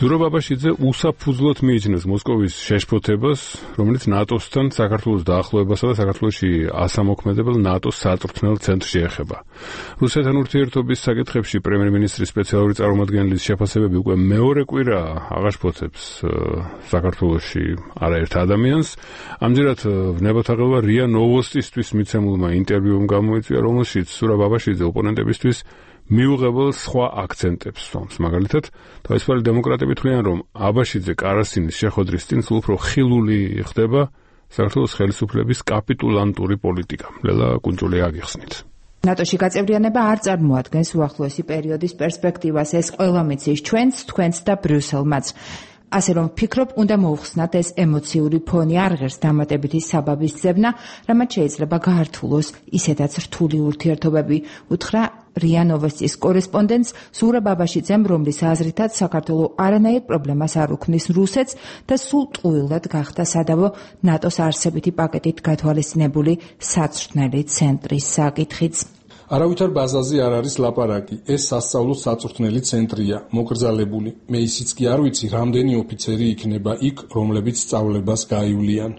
ზურაბ ბაბაშიძე უსაფუძვლოდ მიიჩნევს მოსკოვის შეშფოთებას, რომელიც ნატოსთან საქართველოს დაახლოებასა და საქართველოში ასამოქმედებელ ნატოს საწვრთნელ ცენტრში ეხება. რუსეთთან ურთიერთობის საკითხებში პრემიერ-მინისტრის სპეციალური წარმომადგენლის შეფასებები უკვე მეორე კვირაა აღაშფოთებს საქართველოში არაერთ ადამიანს. ამჯერად ვნებათაღელვა რია ნოვოსტისთვის მიცემულმა ინტერვიუმ გამოიწვია, რომელშიც ზურაბ ბაბაშიძე ოპონენტებისთვის მიუღებელ სხვა აქცენტებს სვამს. მაგალითად, თავისუფალი დემოკრატები თვლიან, რომ აბაშიძე კარასინის შეხვედრის წინ სულ უფრო ხილული ხდება საქართველოს ხელისუფლების კაპიტულანტური პოლიტიკა. ლელა კუნჭულია აგიხსნით. ნატოში გაწევრიანება არ წარმოადგენს უახლოესი პერიოდის პერსპექტივას. ეს ყველა მიცის თქვენც და ბრიუსელმაც. ასე რომ ვფიქრობ, უნდა მოუხსნათ ეს ემოციური ფონი, არ ღირს დამატებითი საბაბის ძებნა, რამაც შეიძლება გაართულოს ისედაც რთული ურთიერთობები, უთხრა რია ნოვოსტის კორესპონდენტს ზურაბ ბაბაშიძემ, რომლის აზრითაც საქართველო არანაირ პრობლემას არ უქმნის რუსეთს და სულ ტყუილად გახდა სადავო ნატოს არსებითი პაკეტით გათვალისწინებული საწვრთნელი ცენტრის საკითხიც. არავითარ ბაზაზე არ არის ლაპარაკი. ეს სასწავლო საწვრთნელი ცენტრია, მოკრძალებული. მე ისიც კი არ ვიცი, რამდენი ოფიცერი იქნება იქ, რომლებიც სწავლებას გაივლიან.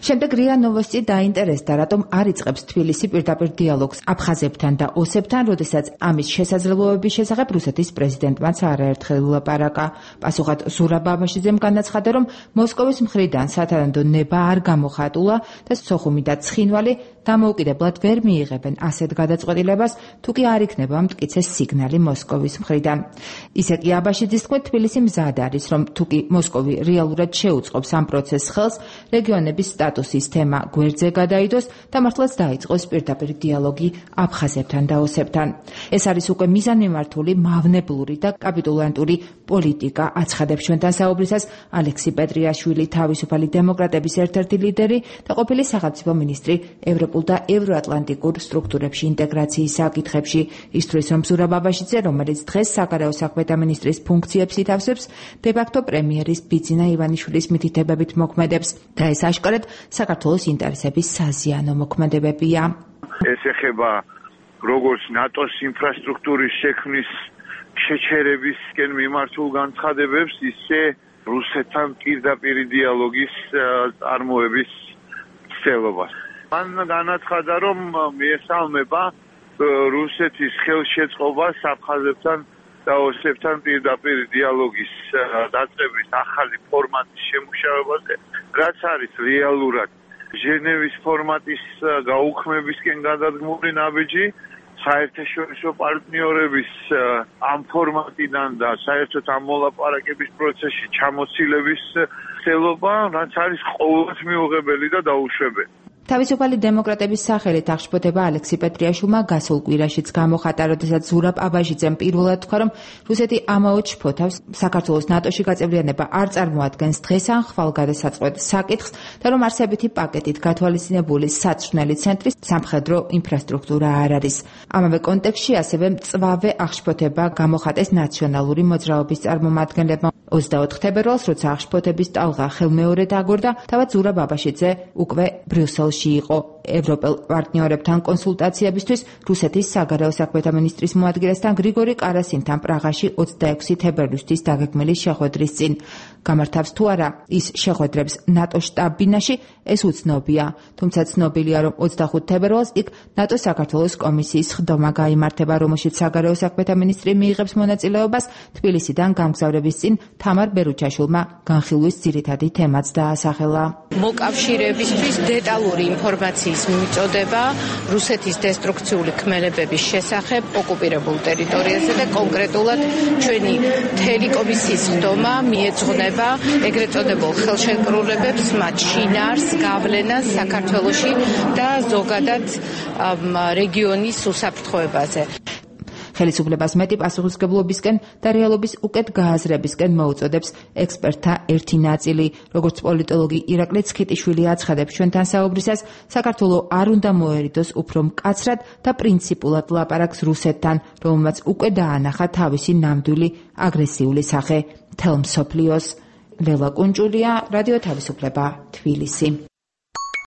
შემდეგ რია ნოვოსტი დაინტერესდა, რატომ არ იწყებს თბილისი პირდაპირ დიალოგს აფხაზებთან და ოსებთან, როდესაც ამის შესაძლებლობების შესახებ რუსეთის პრეზიდენტმაც არაერთხელ ვილაპარაკა. პასუხად ზურაბ ბაბაშიძემ განაცხადა, რომ მოსკოვის მხრიდან სათანადო ნება არ გამოხატულა და სოხუმი და ცხინვალი დამოუკიდებლად ვერ მიიღებენ ასეთ გადაწყვეტილებას, თუ კი არ იქნება მტკიცე სიგნალი მოსკოვის მხრიდან. ისე კი აბაშიძის თქმით, თბილისი მზად არის, რომ თუ კი მოსკოვი რეალურად შეუწყობს ამ პროცესს ხელს, რეგიონების სტატუსის თემა გვერდზე გადაიდოს და მართლაც დაიწყოს პირდაპირ დიალოგი აფხაზებთან და ოსებთან. ეს არის უკვე მიზანმიმართული, მავნებლური და კაპიტულანტური პოლიტიკა, აცხადებს ჩვენთან საუბრისას ალექსი პეტრიაშვილი, თავისუფალი დემოკრატების ერთ-ერთი ლიდერი და ყოფილი სახელმწიფო მინისტრი ევროპულ და ევროატლანტიკურ სტრუქტურებში ინტეგრაციის საკითხებში. ისთვის რომ ზურაბ ბაბაშიძე, რომელიც დღეს საგარეო საქმეთა მინისტრის ფუნქციებს ითავსებს, დე-ფაქტო პრემიერის ბიძინა ივანიშვილის მითითებებით მოქმედებს და ეს აშკარად საქართველოს ინტერესების საზიანო მოქმედებებია. ეს ეხება როგორც ნატოს ინფრასტრუქტურის შექმნის შეჩერებისკენ მიმართულ განცხადებებს, ისე რუსეთთან პირდაპირ დიალოგის წარმოების ცდილობას. მან განაცხადა, რომ მიესალმება რუსეთის ხელშეწყობას აფხაზებთან და ოსებთან პირდაპირ დიალოგის დაწყების ახალი ფორმატის შემუშავებაზე, რაც არის რეალურად ჟენევის ფორმატის გაუქმებისკენ გადადგმული ნაბიჯი, საერთაშორისო პარტნიორების ამ ფორმატიდან და საერთოდ ამ მოლაპარაკების პროცესში ჩამოცილების ცდილობა, რაც არის ყოველთვის მიუღებელი და დაუშვებელი. თავისუფალი დემოკრატების სახელით აღშფოთება ალექსი პეტრიაშვილმა გასულ კვირაშიც გამოხატა, როდესაც ზურაბ აბაშიძემ პირველად თქვა, რომ რუსეთი ამაოდ შფოთავს საქართველოს ნატოში გაწევრიანება არ წარმოადგენს დღეს ან ხვალ გადასაწყვეტ საკითხს და რომ არსებითი პაკეტით გათვალისწინებული საწვრთნელი ცენტრის სამხედრო ინფრასტრუქტურა არ არის. ამავე კონტექსტში ასევე მწვავე აღშფოთება გამოხატეს ნაციონალური მოძრაობის წარმომადგენლებმა. 24 თებერვალს, როცა აღშფოთების ტალღა ხელმეორედ აგორდა, თავად ზურაბ ბაბაშიძე უკვე ბრიუსელში იყო ევროპელ პარტნიორებთან კონსულტაციებისთვის რუსეთის საგარეო საქმეთა მინისტრის მოადგილესთან გრიგორი კარასინთან პრაღაში 26 თებერვლისთვის დაგეგმილი შეხვედრის წინ. გამართავს თუ არა ის შეხვედრებს ნატოს შტაბ-ბინაში, ეს უცნობია, თუმცა ცნობილია, რომ 25 თებერვალს იქ ნატოს საქართველოს კომისიის ხდომა გაიმართება, რომელშიც საგარეო საქმეთა მინისტრი მიიღებს მონაწილეობას. თბილისიდან გამგზავრების წინ თამარ ბერუჩაშვილმა განხილვის ძირითადი თემაც დაასახელა. მოკავშირეებისთვის დეტალური ინფორმაციის მიწოდება რუსეთის დესტრუქციული ქმელებების შესახებ ოკუპირებულ ტერიტორიაზე და კონკრეტულად ჩვენი მთელი კომისიის ხდომა მიეძღვნება ეგრეთ წოდებულ ხელშეკრულებებს, მათ შინაარს, გავლენას საქართველოში და ზოგადად რეგიონის უსაფრთხოებაზე. ხელისუფლებას მეტი პასუხისმგებლობისკენ და რეალობის უკეთ გააზრებისკენ მოუწოდებს ექსპერტთა ერთი ნაწილი. როგორც პოლიტოლოგი ირაკლი ცქიტიშვილი აცხადებს ჩვენთან საუბრისას, საქართველო არ უნდა მოერიდოს უფრო მკაცრად და პრინციპულად ლაპარაკს რუსეთთან, რომელმაც უკვე დაანახა თავისი ნამდვილი აგრესიული სახე მთელ მსოფლიოს. ლელა კუნჭულია, რადიო თავისუფლება, თბილისი.